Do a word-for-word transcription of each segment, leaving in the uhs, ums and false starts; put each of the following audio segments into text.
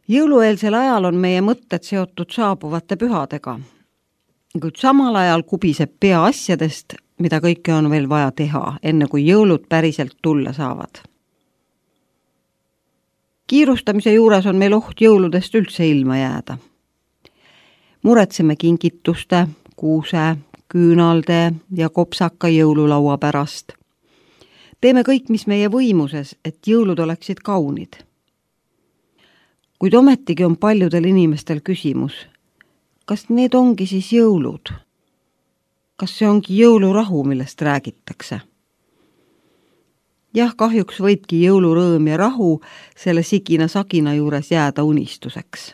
Jõulueelsel ajal on meie mõtted seotud saabuvate pühadega, kuid samal ajal kubiseb pea asjadest, mida kõike on veel vaja teha, enne kui jõulud päriselt tulla saavad. Kiirustamise juures on meil oht jõuludest üldse ilma jääda. Muretseme kingituste, kuuse, küünalde ja kopsaka jõululaua pärast. Teeme kõik, mis meie võimuses, et jõulud oleksid kaunid. Kuid ometigi on paljudel inimestel küsimus, kas need ongi siis jõulud? Kas see ongi jõulurahu, millest räägitakse? Jah, kahjuks võibki jõulurõõm ja rahu selle sigina-sagina juures jääda unistuseks.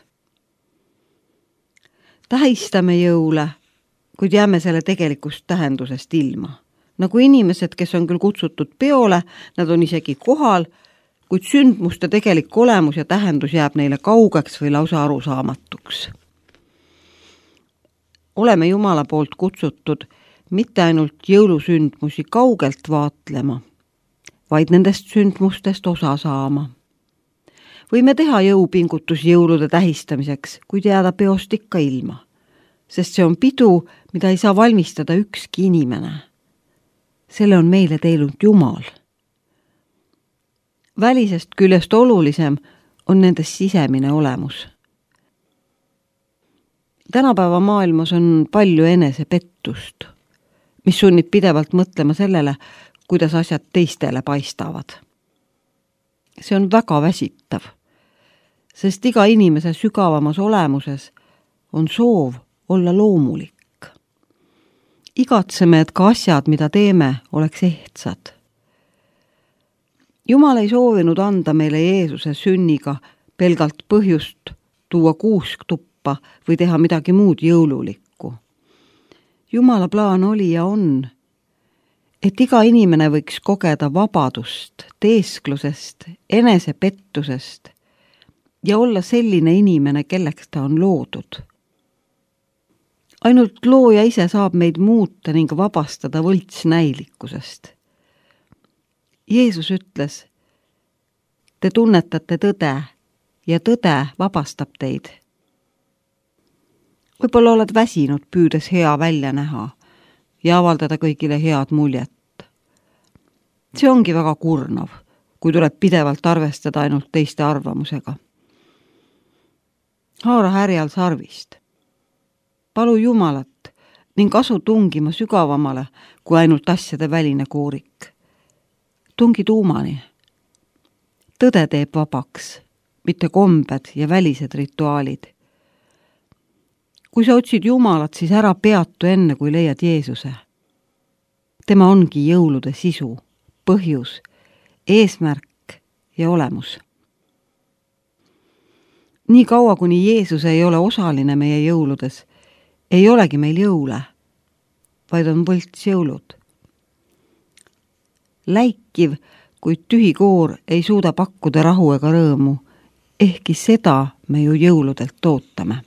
Tähistame jõule, kuid jääme selle tegelikust tähendusest ilma. Nagu inimesed, kes on küll kutsutud peole, nad on isegi kohal, kuid sündmuste tegelik olemus ja tähendus jääb neile kaugeks või lausa arusaamatuks. Oleme Jumala poolt kutsutud mitte ainult jõulusündmusi kaugelt vaatlema, vaid nendest sündmustest osa saama. Võime teha jõupingutus jõulude tähistamiseks, kuid jääda peost ikka ilma, sest see on pidu, mida ei saa valmistada ükski inimene. Selle on meile teinud Jumal. Välisest küljest olulisem on nendes sisemine olemus. Tänapäeva maailmas on palju enesepettust, mis sunnib pidevalt mõtlema sellele, kuidas asjad teistele paistavad. See on väga väsitav, sest iga inimese sügavamas olemuses on soov olla loomulik. Igatseme, et ka asjad, mida teeme, oleks ehtsad. Jumal ei soovinud anda meile Jeesuse sünniga pelgalt põhjust tuua kuusk tuppa või teha midagi muud jõululikku. Jumala plaan oli ja on, et iga inimene võiks kogeda vabadust, teesklusest, enesepettusest ja olla selline inimene, kelleks ta on loodud. Ainult looja ise saab meid muuta ning vabastada võltsnäilikkusest. Jeesus ütles, te tunnetate tõde ja tõde vabastab teid. Võib-olla oled väsinud püüdes hea välja näha ja avaldada kõigile head muljet. See ongi väga kurnav, kui tuleb pidevalt arvestada ainult teiste arvamusega. Haara härjal sarvist. Palu Jumalat ning asu tungima sügavamale kui ainult asjade väline koorik. Tungi tuumani. Tõde teeb vabaks, mitte kombed ja välised rituaalid. Kui sa otsid Jumalat, siis ära peatu enne, kui leiad Jeesuse. Tema ongi jõulude sisu, põhjus, eesmärk ja olemus. Nii kaua, kuni Jeesus ei ole osaline meie jõuludes, ei olegi meil jõule, vaid on võlts jõulud. Läikiv, kuid tühi koor ei suuda pakkuda rahu ega rõõmu, ehkki seda me ju jõuludelt ootame.